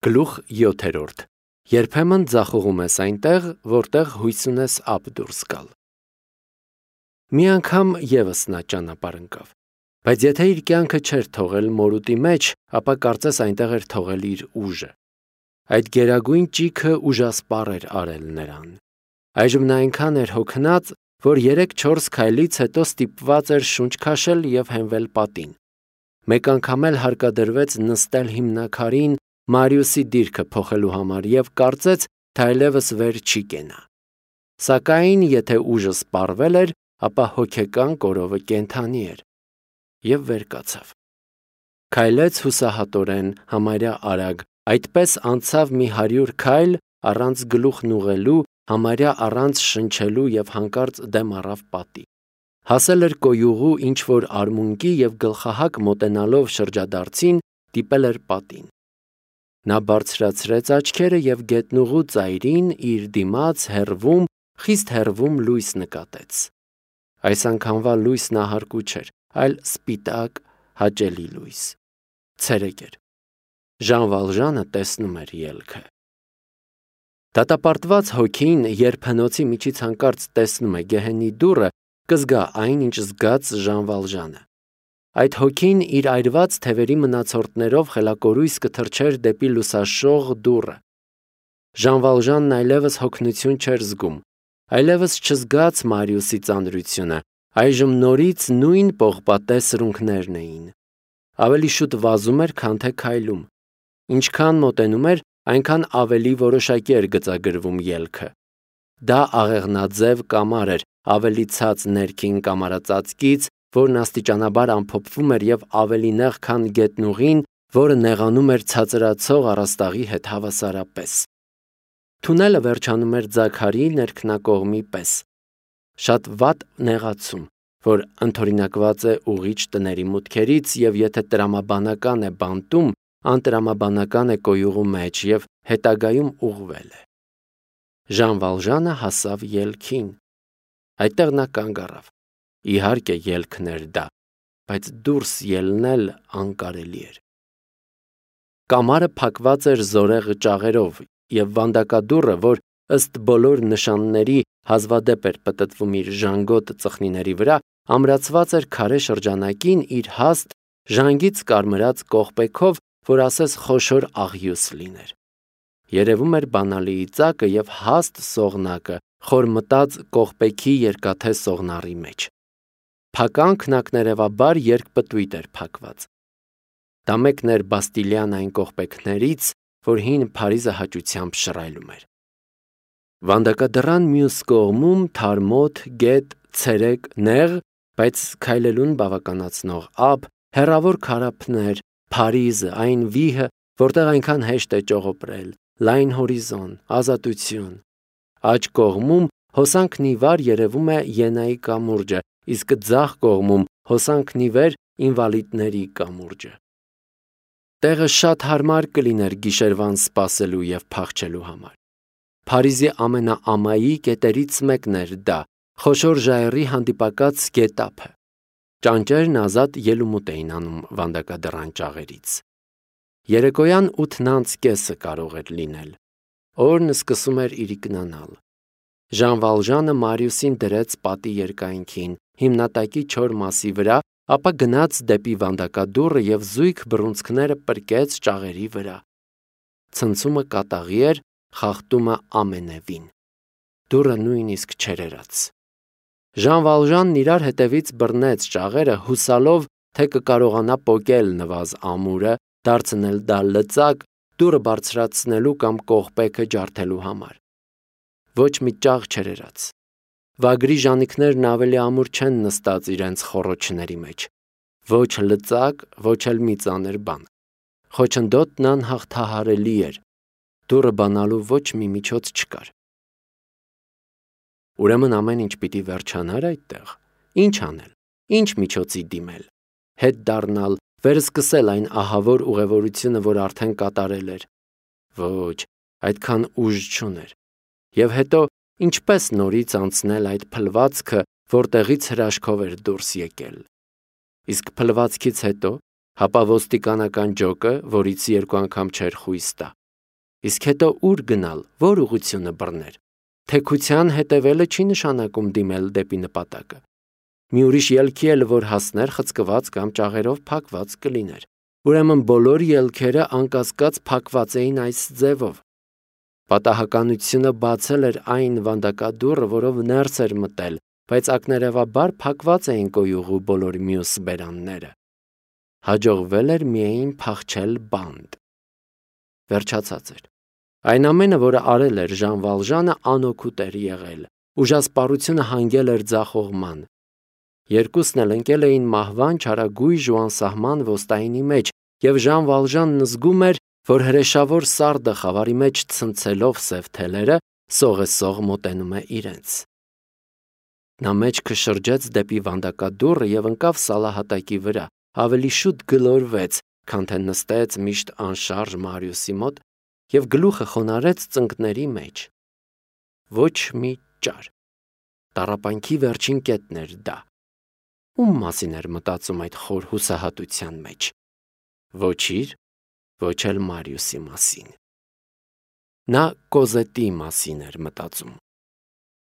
Գլուխ 7. Երբեմն ձախողում ես այնտեղ, որտեղ հույս ունես ափ դուրս գալ։ Մի անգամ ևս նա ճանապարհ ընկավ, բայց եթե իր կյանքը չէր թողել մորուտի մեջ, ապա կարծես այնտեղ էր թողել իր ուժը։ Այդ գերագույն ճիգը ուժասպառ էր արել նրան։ Այժմ նա այնքան էր հոգնած, որ 3-4 քայլից հետո ստիպված էր շունչ քաշել եւ հենվել պատին։ Մեկ անգամ էլ հարկադրվեց նստել հիմնաքարին Մարիուսի դիրքը փոխելու համար եւ կարծեց, թե այլևս վեր չի կենա։ Սակայն, եթե ուժը սպառվել էր, ապա հոգեկան կորովը կենդանի էր եւ վեր կացավ։ Քայլեց հուսահատորեն, համարյա արագ, այդպես անցավ մի 100 քայլ առանց գլուխն ուղղելու, համարյա առանց շնչելու եւ հանկարծ դեմ առավ պատի։ Հասել էր կոյուղու ինչ որ արմունկի եւ գլխահակ մոտենալով շրջադարձին տիպել էր պատին։ Նա բարձրացրեց աչքերը եւ գետնուղու ծայրին իր դիմաց հեռվում, խիստ հեռվում լույս նկատեց։ Այս անգամվա լույսն ահարկու չէր, այլ սպիտակ, հաճելի լույս։ Ցերեկ էր։ Ժան Վալժանը տեսնում էր ելքը։ Դատապարտված հոգին, երբ հնոցի միջից հանկարծ տեսնում է գեհենի դուռը, կզգա այն, ինչ զգաց Ժան Վալժանը։ Այդ հոգին իր այրված թևերի մնացորդներով խելակորույս կթռչեր դեպի լուսաշող դուռը։ Ժան Վալժանն այլևս հոգնություն չէր զգում, այլևս չզգաց Մարիուսի ծանրությունը, այժմ նորից նույն պողպատե սրունքներն էին։ Ավելի շուտ վազում էր, քան թե քայլում։ Ինչքան մոտենում էր, այնքան ավելի որոշակի էր գծագրվում ելքը։ Դա աղեղնաձև կամար էր, ավելի ցած ներքին կամարածածկից, որն աստիճանաբար ամփոփվում էր եւ ավելի նեղ, քան գետնուղին, որը նեղանում էր ցածրացող առաստաղի հետ հավասարապես։ Թունելը վերջանում էր ձագարի ներքնակողմի պես։ Շատ վատ նեղացում, որ ընդօրինակված է ուղիչ տների մուտքերից եւ եթե տրամաբանական է բանտում, անտրամաբանական է կոյուղու մեջ եւ հետագայում ուղղվել է։ Ժան Վալժանը հասավ ելքին։ Այդտեղ նա կանգ առավ։ Իհարկե ելքն էր դա, բայց դուրս ելնել անկարելի էր։ Կամարը փակված էր զորեղ ճաղերով եւ վանդակադուռը, որ ըստ բոլոր նշանների հազվադեպ էր պտտվում իր ժանգոտ ծխնիների վրա, ամրացված էր քարե շրջանակին իր հաստ ժանգից կարմրած կողպեքով, որ ասես խոշոր աղյուս լիներ։ Երևում էր բանալիի ծակը եւ հաստ սողնակը, խորմտած կողպեքի երկաթե սողնարի մեջ։ Փական քնակներևաբար երկպտույտ էր փակված։ Դա մեկն էր Բաստիլյան այն կողպեքներից, որ հին Փարիզը հաճությամբ շռայլում էր։ Վանդակադռան մյուս կողմում թարմոտ, գետ, ցերեկ, նեղ, բայց քայլելուն բավականացնող ափ, հեռավոր քարափներ, Փարիզը, այն վիհը, որտեղ այնքան հեշտ է ճողոպրել, լայն հորիզոն, ազատություն։ Աջ կողմում հոսանքն ի վար երևում է Ենայի կամուրջը, իսկ ձախ կողմում հոսանքն ի վեր ինվալիդների կամուրջը։ Տեղը շատ հարմար կլիներ գիշերվան սպասելու եւ փախչելու համար։ Փարիզի ամենաամայի կետերից մեկն էր դա, խոշոր ժայռի հանդիպակաց գետափը։ Ճանճերն ազատ ելումուտ էին անում վանդակադռան ճաղերից։ Երեկոյան 8:30 կարող էր լինել։ Օրն սկսում էր իրիկնանալ։ Ժան Վալժանը Մարիուսին դրեց պատի երկայնքին, հիմնատակի չոր մասի վրա, ապա գնաց դեպի վանդակադուռը եւ զույգ բռունցքները պրկեց ճաղերի վրա։ Ցնցումը կատաղի էր, խախտումը ամենևին։ Դուռը նույնիսկ չերերաց։ Ժան Վալժանն իրար հետևից բռնեց ճաղերը, հուսալով, թե կկարողանա պոկել նվազ ամուրը, դարձնել դա լծակ, դուռը բարձրացնելու կամ կողպեքը ջարդելու համար։ Ոչ մի ճաղ չերերաց։ Վագրի ժանիքներն ավելի ամուր չեն նստած իրենց խոռոչների մեջ։ Ոչ լծակ, ոչ էլ մի ծանր բան։ Խոչընդոտն անհաղթահարելի էր։ Դուռը բանալու ոչ մի միջոց չկար։ Ուրեմն ամեն ինչ պիտի վերջանար այդտեղ։ Ինչ անել։ Ինչ միջոցի դիմել։ Հետ դառնալ, վերսկսել այն ահավոր ուղևորությունը, որ արդեն կատարել էր։ Ոչ, այդքան ուժ չուներ։ Եվ հետո ինչպես նորից անցնել այդ փլվածքը, որտեղից հրաշքով էր դուրս եկել։ Իսկ փլվածքից հետո, հապա ոստիկանական ջոկը, որից 2 անգամ չէր խույս տա։ Իսկ հետո ուր գնալ, որ ուղղությունը բռներ։ Թեքության հետևելը չի նշանակում դիմել դեպի նպատակը։ Մի ուրիշ ելքի էլ որ հասներ խցկված կամ ճաղերով փակված կլիներ։ Ուրեմն բոլոր ելքերը անկասկած փակված էին այս ձևով։ Պատահականությունը բացել էր այն վանդակադուռը, որով ներս էր մտել, բայց ակներևաբար փակված էին կոյուղու բոլոր մյուս բերանները։ Հաջողվել էր միայն փախչել բանտ։ Վերջացած էր։ Այն ամենը, որը արել էր Ժան Վալժանը, անօգուտ էր եղել։ Ուժասպառությունը հանգել էր ձախողման։ Երկուսն էլ ընկել էին մահվան չարագույժ ու անսահման ոստայինի մեջ, եւ Ժան Վալժանն զգում էր, որ հրեշավոր սարդը խավարի մեջ ցնցելով սև թելերը, սողեսող մոտենում է իրենց։ Նա մեջքը շրջեց դեպի վանդակադուռը եւ ընկավ սալահատակի վրա, ավելի շուտ գլորվեց, քան թե նստեց միշտ անշարժ Մարիուսի մոտ եւ գլուխը խոնարհեց ծնկների մեջ։ Ոչ մի ճար։ Տառապանքի վերջին կետն էր դա։ Ում մասին էր մտածում այդ խոր հուսահատության մեջ։ Ոչ իր, ոչ էլ Մարիուսի մասին։ Նա Կոզետի մասին էր մտածում։